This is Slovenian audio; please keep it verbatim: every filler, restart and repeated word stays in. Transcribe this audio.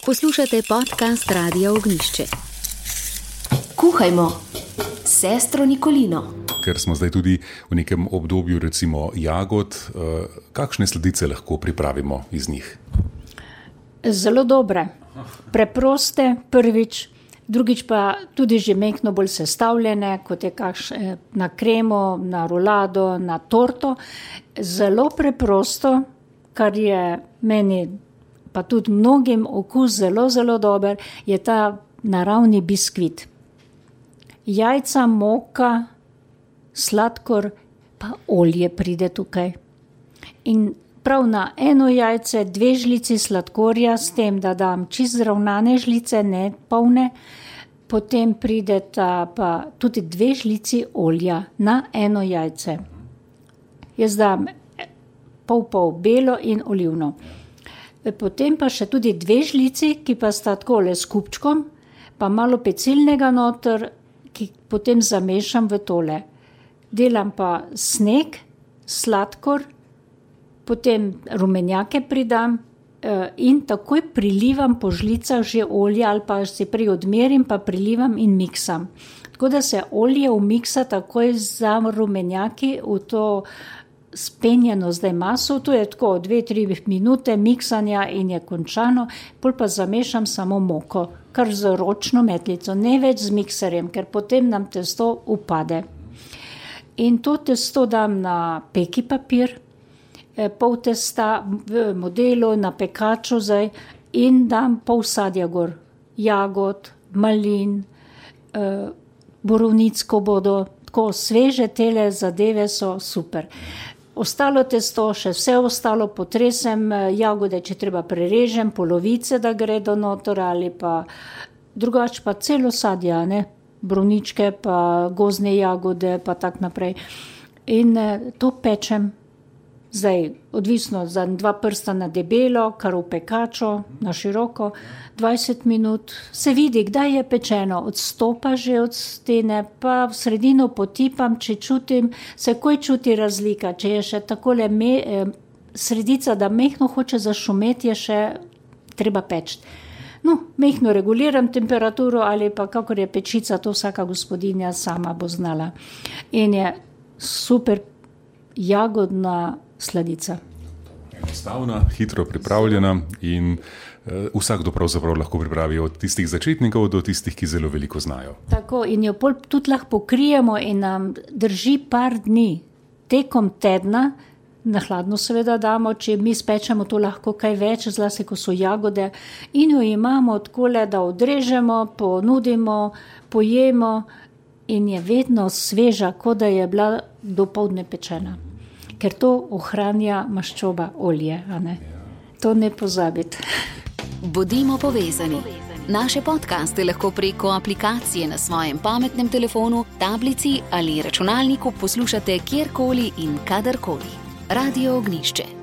Poslušate podcast Radia Ognjišče. Kuhajmo s sestro Nikolino. Ker smo zdaj tudi v nekem obdobju recimo jagod, kakšne sladice lahko pripravimo iz njih? Zelo dobre, preproste prvič, drugič pa tudi že mehko bolj sestavljene, kot je kakš na kremo, na rulado, na torto. Zelo preprosto, kar je meni pa tudi mnogim okus zelo, zelo dober, je ta naravni biskvit. Jajca, moka, sladkor, pa olje pride tukaj. In prav na eno jajce, dve žlici sladkorja, s tem, da dam čisto zravnane žlice, ne polne, potem pride ta pa tudi dve žlici olja na eno jajce. Jaz dam pol pol belo in olivno. Potem pa še tudi dve žlici, ki pa sta takole s kupčkom, pa malo pecilnega noter, ki potem zamešam v tole. Delam pa sneg, sladkor, potem rumenjake pridam in takoj prilivam po žlicah že olje ali pa si prej odmerim, pa prilivam in miksam. Tako da se olje umiksa takoj za rumenjaki v to spenjeno zdaj maso, to je tako dve, tri minute miksanja in je končano, pol pa zamešam samo moko, kar z ročno metlico, ne več z mikserjem, ker potem nam testo upade. In to testo dam na peki papir, pol testa v modelu, na pekaču zdaj in dam pol sadja gor, jagod, malin, borovnic, ko bodo, tako sveže tele zadeve so super. Ostalo testo, še vse ostalo potresem, jagode, če treba prerežem, polovice, da gre do noter ali pa drugače pa celo sadja, ne, borovničke pa gozdne jagode pa tak naprej. In to pečem, zdaj odvisno za dva prsta na debelo, kar v pekaču, na široko, dvajset minut, se vidi, kdaj je pečeno, odstopa že od stene, pa v sredino potipam, če čutim, se koj čuti razlika, če je še takole me, sredica, da mehko hoče zašumeti, je še treba peči. No, mehko reguliram temperaturo ali pa kakor je pečica, to vsaka gospodinja sama bo znala. In je super jagodna sladica. Enostavna, hitro pripravljena in uh, vsakdo pravzaprav lahko pripravi od tistih začetnikov do tistih, ki zelo veliko znajo. Tako, in jo pol tudi lahko pokrijemo in nam drži par dni. Tekom tedna, na hladno seveda damo, če mi spečemo to lahko kaj več, zlasti ko so jagode, in jo imamo takole, da odrežemo, ponudimo, pojemo in je vedno sveža, kot da je bila dopoldne pečena. Ker to ohranja maščoba olje, a ne? To ne pozabiti. Bodimo povezani. Naše podcaste lahko preko aplikacije na svojem pametnem telefonu, tablici ali računalniku poslušate kjerkoli in kadarkoli. Radio Ognjišče.